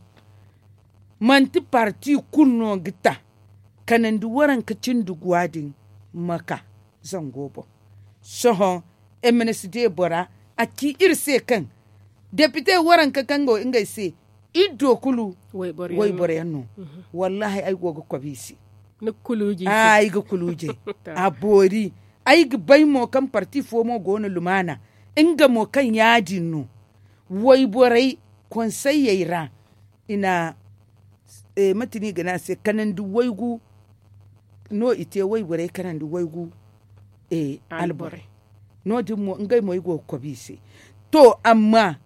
Manti parti kulu no ga ta kanandi waranka cindi guwa din ma ka zango boŋ. Sohõ m n s d bora a ci iri se kaŋ depite waranka kaŋ go ngey se iri do kulu wayboro yaŋ no. Wallaahi ay go ga kobi i se. Ay ga kuluujay a boori. Ay ga bay mo kaŋ parti fo mo go no lumaana nga mo kaŋ ya- din no. Wayborey konseyey ra i na mate no i ga ne a se kanandi waygu. No i te wayborey kanandi waygu alborey. No- din mo ngey mo ay go ga kobi i se. To amma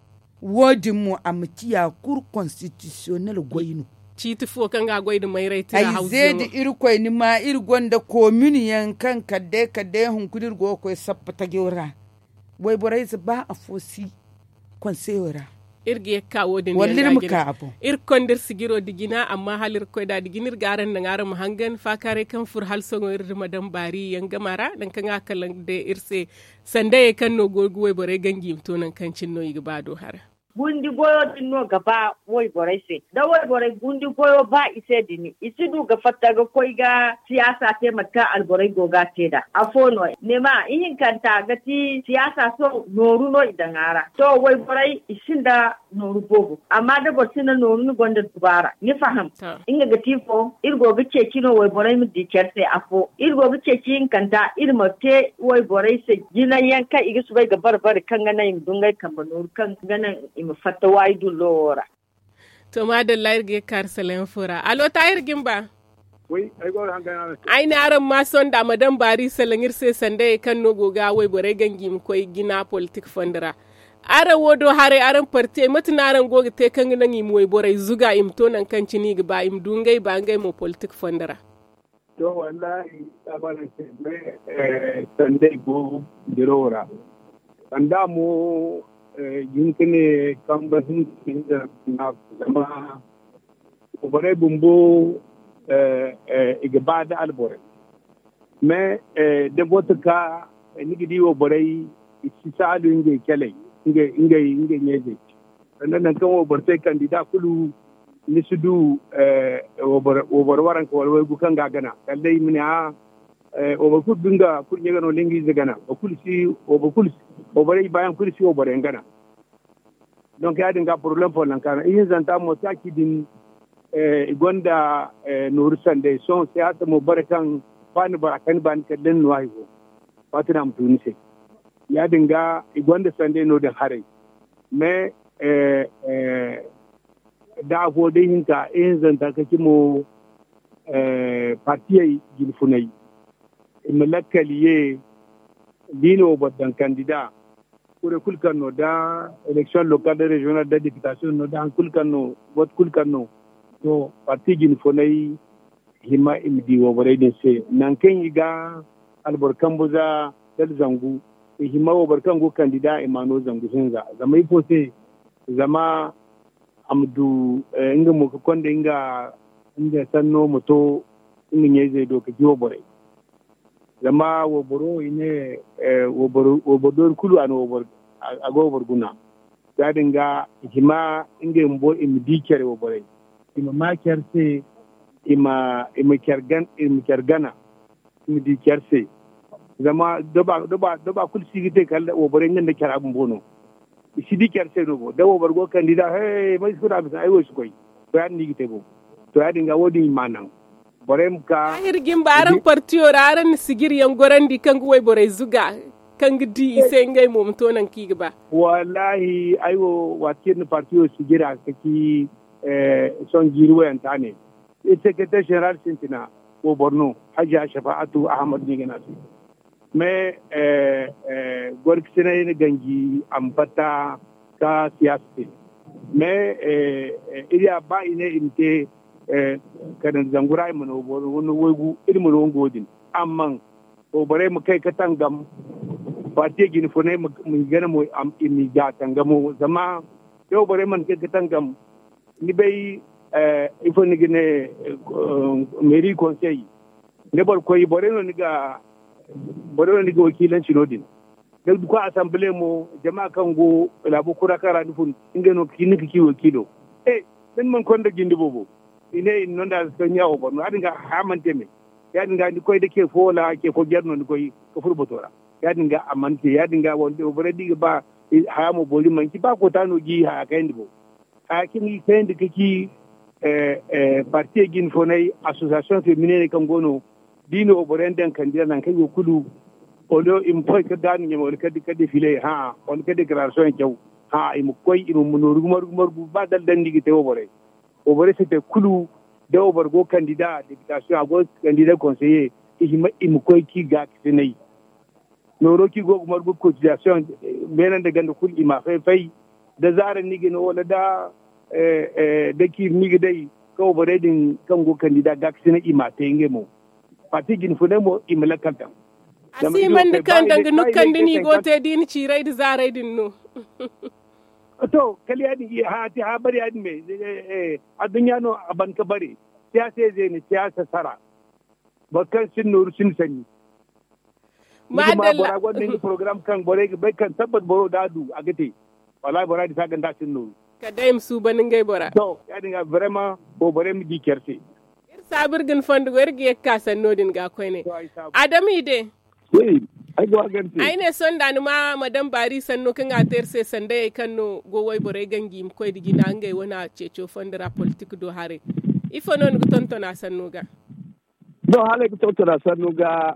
wo- din mo a ma ciya kuru konstitisiyonel goy no. Ciiti fo kaŋ ga a goy nda mayray tira hawzu yaŋo. Ay ze nda irkoy ni ma iri gonda komin yaŋ kaŋ kala day kala day hunkuna iri go ga koy sappa tajo ra. Wayborey ze ba afo si konseyo ra. Iri ga ye ga ka wo- din walla iri ma ka a boŋ. Iri ga konda iri sijiro nda jina amma hala iri ga koy nd'a nda jina iri ga araŋ naŋ araŋ ma hangan faakaaray kaŋ furo hala sohõ iri nda madam baari yaŋ gama ra nangu kaŋ a kalaŋ day iri se. Sandayey kaŋ no go ga wayborey ganji i ma to nangu kaŋ cine no i ga ba do hara. Gundi goyo din no ga ba wayborey se da wayborey gundi goyo ba i se din i si du ga fatta ga koy ga siyaasa te mate kaŋ alborey go ga a te nd'a afo no. Ni ma ihinkanta ga ti siyaasa sohõ nooru no i daŋ a ra to wayborey i sinda nooru boobo amma da boro sinda nooru ni gonda dubaara ni faham. Nga ga ti fo iri go ga ceeci no wayborey ma di care se afo iri go ga ceeci hinkanta iri ma te wayborey se jinay yaŋ kaŋ i ga soobay ga bare bare kaŋ ga naŋ i ma du ngey kambe nooru kaŋ ga naŋ. i ma fatta waayi dullo wo ra. To maadalla, iri ga ye ga kaaru salaŋ fo ra. Alo, Tahir Gimba. Ay ne araŋ ma sonda ma daŋ baari salaŋ iri se sandayey kaŋ no go ga wayborey ganji i ma koy jina politik fondo ra. Araŋ wo do haray, araŋ partiyey, mate no araŋ go ga te kaŋ ga naŋ i ma wayborey zuga, i ma to nangu kaŋ cine i ga ba, i ma du ngey ba ngey mo politik fondo ra? To, wallahi, tabaran se, eh, sanday go dirawo ra. Sanda mo, eh, jin ka ne kamba hinka hinza na zama borey bumbo, eh, eh, i ga ba da alborey. Mais, eh, da vote ka, eh, ni ga di wo borey, i si saalu ngey caley, ngey, ngey, ngey ɲayzey. Sanda nangu kaŋ wo boro te kandida kulu, ni si du, eh, wo boro, wo boro waranka wala waygu kaŋ ga a gana. Kala day i ma ne, a, eh, wo boro kulu ga nga kurɲe gana wala nga ize gana. Wo kulu si, wo boro kulu si, wo borey baayaŋ kulu si wo boroyaŋ gana. Donc, ya-din ga problème fo nangu kaŋ a no. Ihinzanta mo, taaci din, eh, i gonda, eh, nooru sanday. Sohõ siyaasa mo bare kaŋ ba ni bora kani ba ni kala ni no hay fo. Waati no a ma tu ni se. Ya-din ga i gonda sanday no-din haray. Mais, eh, eh, da afo day hinka, ihinzanta ka ci mo, eh, partiyey jine funay. I ma lakkal ye, da i na wo boro daŋ kandida. Kure kulu kaŋ no da élection locale da régionale da députation no da haŋ kulu kaŋ no, vote kulu kaŋ no. To, parti jine funay hima i ma di wo borey din se. Nangu kaŋ i ga alboro kambu za dala zangu, i hima wo boro kaŋ go kandida i ma no zangu hinza. Zama ifo se? Zama a ma du, eh, nga mo ka konda nga, nga sanno ma to nga ɲayzey do ka jiwa borey. Zama wo boro i ne, eh, wo boro, wo boro doori kulu a na wo boro, a, a ga wo boro guna. Ya-din ga i hima ngey bumbo i ma di care wo borey. I ma ma care se, i ma, i ma care gan-, i ma care gana. I ma di care se. Zama doba, doba, doba kulu si ga te kala wo borey nga nda cara bumbo no. I si di care se no bo. Da wo boro go kandida, hey, may si kuna bisa ay wo si koy. To, ya-din no i ga te bo. To, ya-din ga wo-din i ma naŋ. Borey ma ka. Tahir Gimba, araŋ partiyo ra, araŋ na sijiri yaŋ gorandi kaŋ ga wayborey zuga, kaŋ ga di i se ngey mo ma to nangu kaŋ i ga ba. Wallahi, ay wo, waati kaŋ iri na partiyo sijira ka ci, eh, sohõ jiiri wayanta ne. Iri secrétaire général sintina, wo boro no, Hajiya Shafa'atu Ahmad no i ga ne a se. Mais, eh, eh, gorkasinay na ganji a ma fatta ka siyaasa te. Mais, eh, eh, iri ya ba i ne i ma te, eh, kala zangu ra i mana wo boro, waygu, iri mana wo nga wo-din. Amma wo borey ma kay ka tangam, parti jine funay ma, ma gana mo, am, i ma ga tangamo. Zama da wo borey mana kay ka tangam, ni bay, eh, ifo ni ga ne, eh, mairie conseil. Da boro koy, borey no ni ga, borey no ni ga wakiilanci no-din. Da ni koy assemblée mo, jama kaŋ go laabo kura kaŋ ra ni fun, ngey no ga ci, ni ga ci wakiilo. Eh, da ni mana konda jinde boobo, i ne i na nonda se ɲa wo boro no. Ya-din ga haya mana te me. Ya-din ga ni koy da ce fo wala ce fo jare no ni koy ka furo bato ra. Ya-din ga a mana te. Ya-din ga wo borey da i ga ba, eh, haya mo boori, manti ba koota no ga i haya kayandi bo. Haya kaŋ i kayandi ka ci, eh, eh, parti jine funay, association féminin kaŋ go no, da i na wo boroyaŋ daŋ kandida nangu kaŋ i go kulu, wala i ma koy ka gaanu ɲama, wala ka, ka défilé, hã, wala ka déclaration caw, hã, i ma koy, i ma nooru gumo-gumo, ba dala daŋ no i ga te wo borey. Wo borey si te kulu, da wo boro go kandida députation, a go kandida conseiller, i hima, i ma koy ka i gaakasinay. Nooro kaŋ i go ga margu cotisation, eh, beene nda ganda kulu i ma fay-fay. Da zaara no i ga no wala da, eh, eh, da ciiri no i ga day, kaŋ wo borey din kaŋ go kandida gaakasinay i ma te ngey mo. Parti jine funay mo i ma lakkal daŋ. A si hima nda kaŋ danga nukandi no i go ga te da i na ciirey nda zaarey din no. To, kala ya-din, haya te, haya bare ya-din me, eh, eh, adduɲɲa no a ban ka bare. Siyaasa ize ne, siyaasa sara. Boro kaŋ sinda nooru sinda sanni. Ni ga ma bora gonda nga program kaŋ borey ga bay kaŋ tabbat boro da a du a ga te. Wallahi bora di sa ganda sinda nooru. Kala day i ma suuban ngey bora. To, ya-din ga vraiment wo borey ma di care se. Iri saabu iri ga ni fondo goy, iri ga ye ga ka sanno din ga koyne. Adama i de. Ay ne sonda ni ma madame Bari sanno kaŋ a te iri se sandayey kaŋ no go wayborey ganji i ma koy nda jina ngey wane ceeco fondo ra politik do haray. Ifo no ni ga tonton a sanno ga? Don hala ay ga tonton a sanno ga,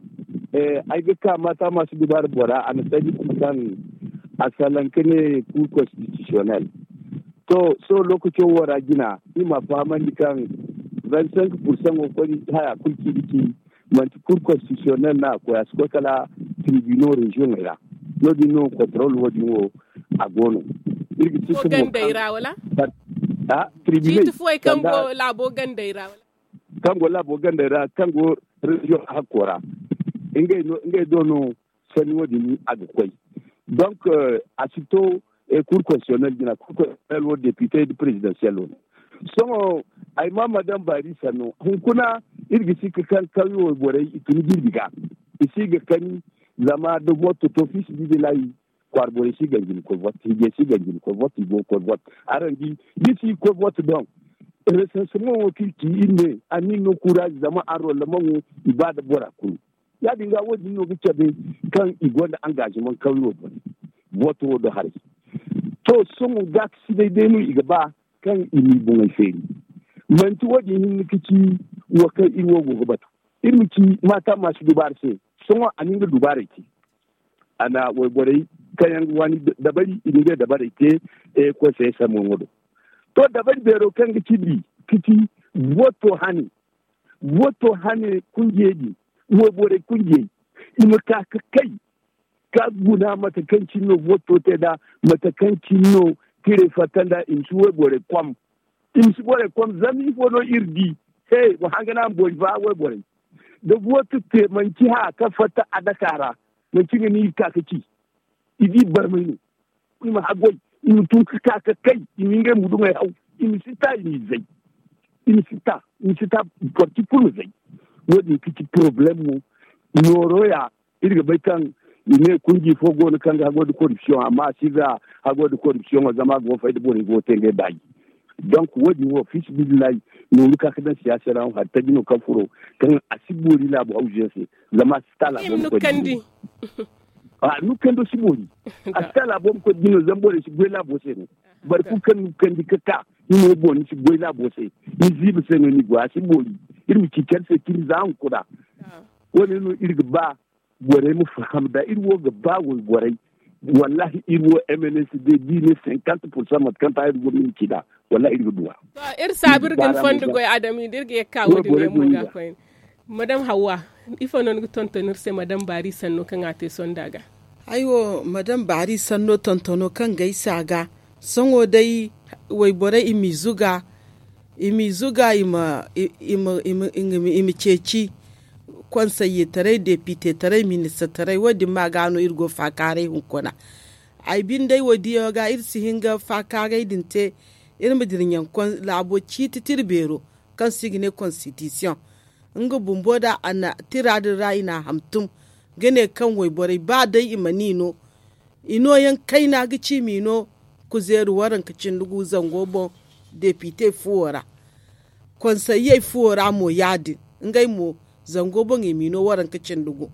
eh, ay ga ka mata masu dubaara bora a na sanni kulu kaŋ a salaŋ ka ne cour constitutionnel. To, sohõ lookaco wo ra jina, iri ma a fahamandi kaŋ vingt cinq pourcent wo koy haya kulu kaŋ i ga ci, manti kur konstitisiyonel no a koy, a si koy kala tiribino reziyoŋey ra. No- din no kontorol wo- din wo a go no. Iri ga ci ka mo kaŋ a tiribiney kaŋ go laabo gandey ra wala? Kaŋ go laabo gandey ra, kaŋ go reziyoŋ hakko ra, ngey do no sanni wo- din a ga koy. Donk a si to, kur konstitisiyonel jina, kur konstitisiyonel wo depite nda perezidansiyel wo no. Sohõ ay ma madam baari sanno hunkuna, iri ga si ga kaŋ kawyo borey i tun jirbi ga, i si ga kani. Zama da voto to fiisi bidilahi, kwaara borey si ganji ni koy vote, hijey si ganji ni koy vote, i go ga koy vote. Araŋ di, da i si ga koy vote doŋ, resanseman wo kaŋ iri ci iri ne a na iri no kurazi zama anrolleman wo i ba nda bora kulu. Ya- din ga wo- din no ga cabe kaŋ i gonda angaziman kawyo boŋ. Voto wo do haray. To, sohõ gaakasinay day no i ga ba kaŋ i m'i boŋey feeri. Manti wo- din hinne ga ci wo kaŋ iri wo go ga batu. Iri ma ci maata ma si dubaara se. Sohõ a na nga dubaarey te. A na wayborey kaŋ yaŋ ga waani dabari i na ngey dabarey te. Konseye sambuyaŋo do. To, dabari beero kaŋ ga ci di, ga ci voto hane. Voto hane kunjey din, wayborey kunjey, i ma ka ga kay ka guna mate kaŋ cine no voto te nd'a, mate kaŋ cine no tirey fatta nd'a. I ma si wayborey kom. I ma si borey kom zama ifo no iri di? He, wa hanga no a ma boori fa wayborey. Da voto te manci haya kaŋ fatta a daka ra, manci nga no iri ga ka ga ci. I di barmay no. I ma haggoy, i ma tun ga ka ga kay, i ma ngey muduŋey haw. I ma si ta i ma i zay. I ma si ta, i ma si ta. Parti kulu ma zay. Wo- din ga ci porobalem mo. Nooro ya, iri ga bay kaŋ i ne kunji fo go no kaŋ ga haggoy nda korupsiyoŋ amma a si ga haggoy nda korupsiyoŋo zama a go ga fay da borey go ga te ngey baaji. Donk wo- din wo fiisabilillahi, nooru ka ga daŋ siyaasa ra wo hari taji no kaŋ furo, kaŋ a si boori laabu hawzuyaŋ se. Zama a si ta laabo ma koy da jine. A nukando si boori. A si ta laabo ma koy da jine zama borey si goy laabo se no. Boro kulu kaŋ nukandi ga ka, ni mo boŋ ni si goy laabo se. Ni ziiba se no ni goy, a si boori. Iri ma ci care se cine za hunkuna. Wo- ne no iri ga ba borey ma faham da iri wo ga ba wayborey. Wallahi iri wo m n s d da i ne cinquante pour cent mate kaŋ ta iri go ma iri ci nd'a. Wallahi iri ga duw'a. To, iri saabu iri ga ni fondo goy adami da iri ga ye ga ka wo- din yaŋ mo ga koyne. Madam hawwa, ifo no ni ga tonton iri se madam baari sanno kaŋ a te sonda ga? Ay wo madam baari sanno tontono kaŋ ga ay se a ga. Sohõ day wayborey i m'i zuga, i m'i zuga i ma i ma ceeci. Konseye taray depite taray minista taray wo- din ma ga no iri go faakaaray hunkuna. Ay binde wo- din yaŋo ga iri si hin ga faakaaray din te. Iri ma dira ɲaŋ laabo ciiti tira beero kaŋ se i ga ne konstitisiyoŋ. Nga bumbo da a na tira din ra i n'a hantum ga ne kaŋ wayborey ba day i mana i no. I nooyaŋ kayna ga ci i m'i no kuzeeri waranka cindi gu zango boŋ depite fuwo ra. Konsayey fuwo ra mo ya- din. Ngey mo zango boŋ i m'i no waranka cindi gu.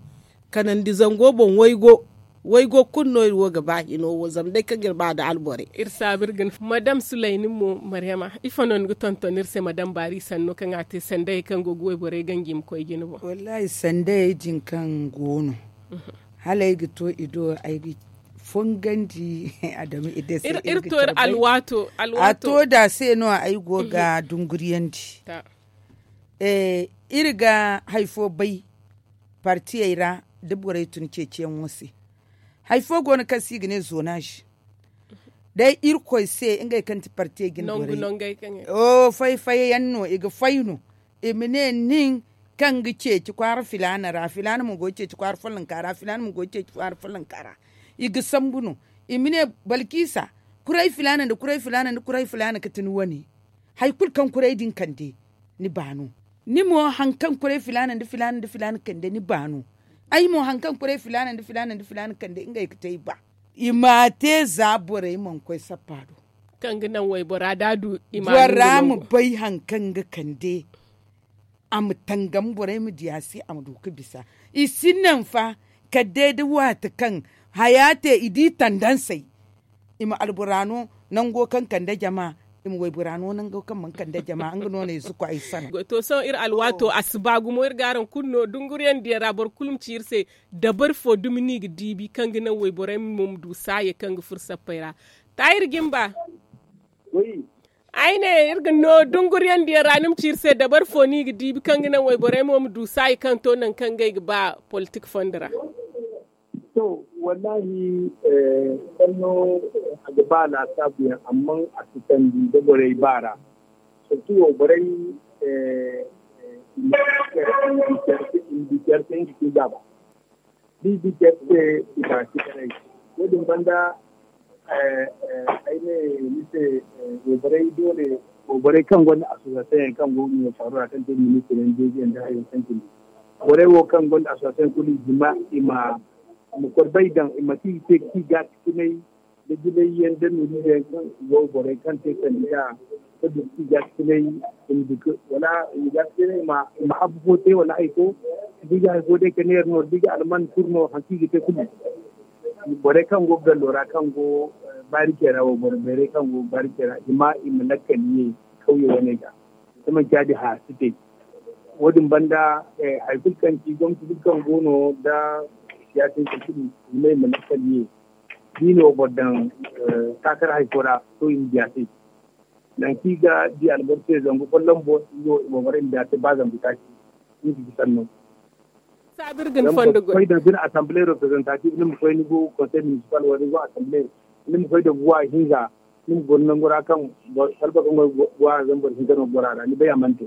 Kanandi zango boŋ waygo. Waygo kulu no iri wo ga ba hino wo zama day kaŋ iri ba nda alborey. Iri saabu iri ga ni madam sulayni mo maryama ifo no ni ga tonton iri se madam baari sanno kaŋ a te sandayey kaŋ go ga wayborey ganji i ma koy jine boŋ? Wallahi sandayey din kaŋ go no hala ay ga to i do ay ga fongandi. Adama i day se iri to iri alwaato. A to da se no ay go ga dunguriyandi. Iri ga hari fo bay partiyey ra da borey tun ceeciyaŋo se. Hari fo go no kaŋ se i ga ne zonaaz. Day irkoy se ngey kaŋ ti partiyey jine borey. Fay fay yaŋ no i ga fay no i ma ne nin kaŋ ga ceeci kwaara filaana ra filaana mo go ga ceeci kwaara follonka ra filaana mo go ga ceeci kwaara follonka ra. I ga sambu no i ma ne balkiisa, kuray filaana nda kuray filaana nda kuray filaana ga ti ni wane. Hari kulu kaŋ kuray din kande ni ba no. Ni mo hari kaŋ kuray filaana nda filaana nda filaana kande ni ba no. Ay mo hari kaŋ kuray filaana nda filaana nda filaana kande ngey ga te ay ba. I m'a te za borey mana koy sappa do. Kaŋ ga naŋ waybora da a du i ma bora ma bay hari kaŋ ga kande. A ma tangam borey ma di a se a ma du ga bisa. I si naŋ fa kala day da waati kaŋ haya te i di tandansey. I ma albora no nango kaŋ kande jama. I ma waybora no nango kaŋ mana kande jama nga no no i si koy ay sana. To sohõ iri alwaato a si ba gumo iri ga araŋ kulu no dunguriyaŋ diyaŋ ra boro kulu ma ci iri se. Dabari fo dumi no i ga diibi kaŋ ga naŋ wayborey mo ma du saayey kaŋ ga furo sappey ra. Taahir jimba. Ay ne iri ga no dunguriyandiyaŋ ra ni ma ci iri se dabari fo no i ga diibi kaŋ ga naŋ wayborey mo ma du saayi kaŋ to nangu kaŋ ngey ga ba politik fondo ra. To, wallahi, sanno a ga ba laasaabuyaŋ amma a si sandi da borey ba ra. Surtu wayborey i ma di care se nga ci gaaba. Da i di care se i ma ci care. Wo- din banda ay ne ni se, wayborey doole wayborey kaŋ gonda asosiyasiyoŋ yaŋ kaŋ go ga ɲwa faaro ra kaŋ te ministir yaŋ deeji yaŋ da hayo kaŋ cindi. Borey wo kaŋ gonda asosiyasiyoŋ kulu i hima i ma kor bay daŋ i ma ti i te ga ti gaakasinay da jilay yaŋ da nuuri yaŋ kaŋ i go ga borey kaŋ te sanda da ga du ga ti gaakasinay. I ma du ga wala i ma gaakasinay i ma habu fo te wala hari fo. Da i ga hari fo day kala neera no da i ga alman kuru no hari kaŋ i ga te kulu. Borey kaŋ go ga gallo ra kaŋ go baari care ra wo boro beerey kaŋ go baari care ra i ma i ma lakkal ye kawye wane ga. Da manci ya- din haya si te. Wo- din banda hari kulu kaŋ ci gomnati kulu kaŋ go no da siyaasa ize kulu i ma i ma lakkal ye. Da i na wo boro daŋ kaakar hari fo ra to i ma diya se. Nangu kaŋ i ga di alboro se zangu folloŋ boŋ i wo i ma boro i ma diya se ba zangu taaci. Nga ga sanno. Saabu iri ga ni fondo goy. Ni ma koy da bine assemblée représentative ni ma koy ni go konsey municipal wala ni go assemblée. Ni ma koy da buwa hinza ni ma goro nangu ra kaŋ salba kaŋ go buwa ra zama boro hinza no goro a ra ni bay a mana te.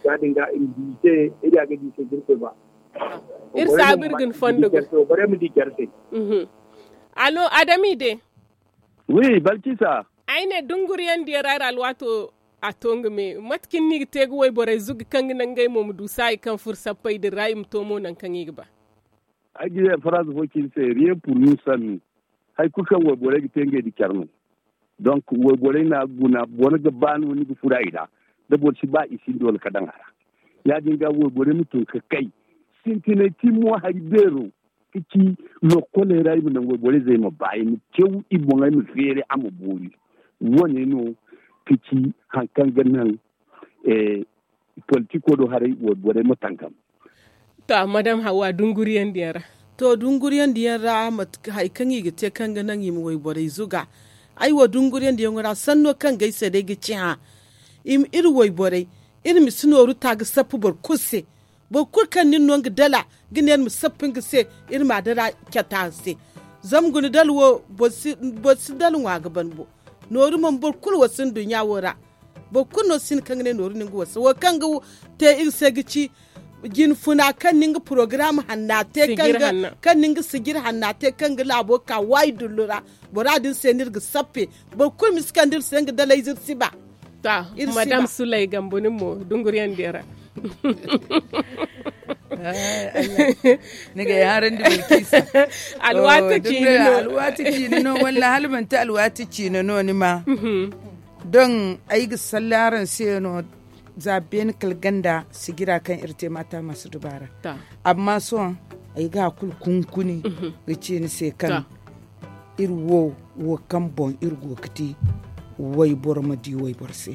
Ya- din ga i ma di i se iri a ga di i se da iri koy ba. Iri saabu iri ga ni fondo goy. Borey ma di care se. Alo adami de. Wi balkisa. Ay ne dunguriyandiyaŋ ra iri alwaato a to nga me mate cine no i ga te ga wayborey zuga kaŋ ga naŋ ngey mo ma du saayi kaŋ furo sappey din ra i ma to mo nangu kaŋ i ga ba. Ay ga ne faraaza fo ci ni se rien pour nous sannu. Hari kulu kaŋ wayborey ga te ngey da care no. Donk wayborey na guna boro ga ba no ni ga furo a i ra. Da boro si ba i sinda wala ka daŋ a ra. Ya- din ga wayborey ma tun ga kay sintinay ti mo hari beero. Ka ci lokkoley ra i ma naŋ wayborey zey ma ba i ma caw i boŋey ma feeri a ma boori. Wo- ne no ka ci hari kaŋ ga naŋ politiko do haray wayborey ma tangam. To madam hawa dunguriyandiyaŋ ra. To dunguriyandiyaŋ ra hari kaŋ i ga te kaŋ ga naŋ i ma wayborey zuga. Ay wo dunguriyandiyaŋo ra sanno kaŋ ga ay se day ga ci hã. Iri wayborey iri ma si nooru ta ga sappa boro kulu se. Boro kulu kaŋ nin no nga dala ga ne iri ma sappa nga se iri ma a dara cata se. Zama guna dala wo boro si dala ŋwa ga ban bo. Nooru mana boro kulu wasa nduɲɲa wo ra. Boro kulu no si hin kaŋ ga ne nooru no nga wasa wo kaŋ ga te iri se ga ci jinfuna kaŋ na nga porogaram hanna te kaŋ na nga sijir hanna te kaŋ ga laabo ka waayi dullu ra. Bora din se no iri ga sappe. Boro kulu ma si kande iri se nga dalayze iri si ba. Madam sulay gambo nin mo dunguriyandiyaŋ ra. Ni ga ay harandi balkisa. Alwaati ciine no walla hala manti alwaati ciine no ni ma. Don ay ga salle araŋ se no. Za beene kala ganda sijira kaŋ iri te maata masu dubaara. Amma sohõ ay ga a kulu kunkuni ga ci ni se kaŋ iri wo wo kaŋ boŋ iri go ga te wayboro ma di wayboro se.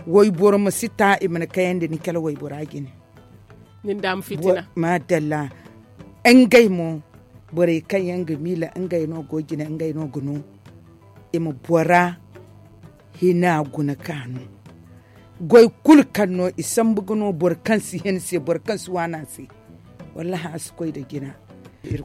Wayboro ma si ta i mana kayandi ni kala waybora jine. Maadalla. Ngey mo borey kaŋ yaŋ ga miila ngey no go jine ngey no ga no i ma bora hina guna ka no. Goy kulu kaŋ no i sambu ga no boro kaŋ si hin se boro kaŋ si waana se. Wallahi a si koy nda jina.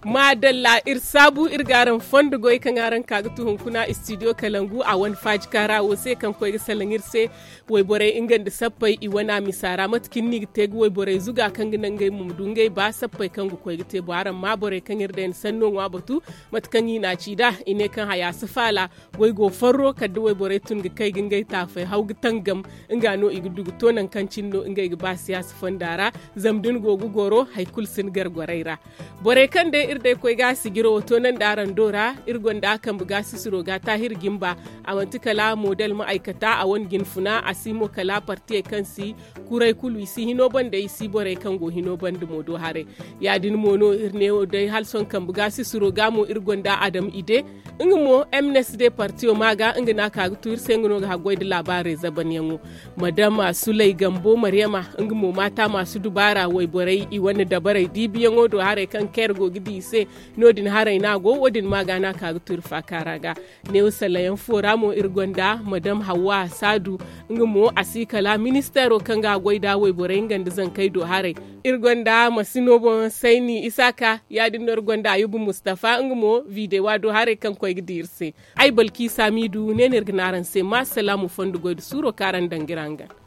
Maadalla iri saabu iri ga araŋ fondo goy kaŋ araŋ ka ga tu hunkuna studio kalangu a wane faajika ra wo se kaŋ koy ga salaŋ iri se. Wayborey nga nda sappey i wana misa ra mate kaŋ ni ga te ga wayborey zuga kaŋ ga naŋ ngey mo ma du ngey ba sappey kaŋ ga koy ga te bo araŋ ma borey kaŋ iri day na sanno ŋwa batu. Mate kaŋ i na a ci nd'a i ne kaŋ haya si faala. Goy go farro kala da wayborey tun ga kay ga ngey taafey haw ga tangam. Nga no i ga du ga to nangu kaŋ cine no ngey ga ba siyaasa fonda ra. Zama da ni go ga goro hari kulu si ni gar gorey ra. Borey kaŋ day iri day koy ga sijiro wo toonandi araŋ do ra. Iri gonda kambe ga sisiro ga taahir jimba. A manti kala model ma ay kata a wane jinfuna a si mo kala partiyey kaŋ si kuray kulu i si hino banda i si borey kaŋ go hino banda mo do haray. Ya- din mo no iri ne wo day hala sohõ kambe ga sisiro ga mo iri gonda adam ide. Nga mo m n s d partiyo ma ga nga no a ka ga tu iri se nga no ga haggoy nda laabaarey zabanyaŋo. Madama sulay gambo maryama nga mo maata maasu dubaara wayborey i wane dabarey diibiyaŋo do haray kaŋ care go. ga di i se. No- din haray no a go wo- din ma ga no a ka ga turi faakaara ga. Neewo salayaŋ fo ra mo iri gonda madam hawwa saadu, nga mo a si kala ministeero kaŋ ga a goy nd'a wayborey nga nda zankey do haray. Iri gonda masino boŋ sayni isaaka, ya- din no iri gonda ayuba mustafa nga mo videwa do haray kaŋ koy ga di iri se. Ay balki saamiidu ne no iri ga ne araŋ se ma salaamu fondo goy nda suuro kaŋ araŋ daŋ ga iri hangan.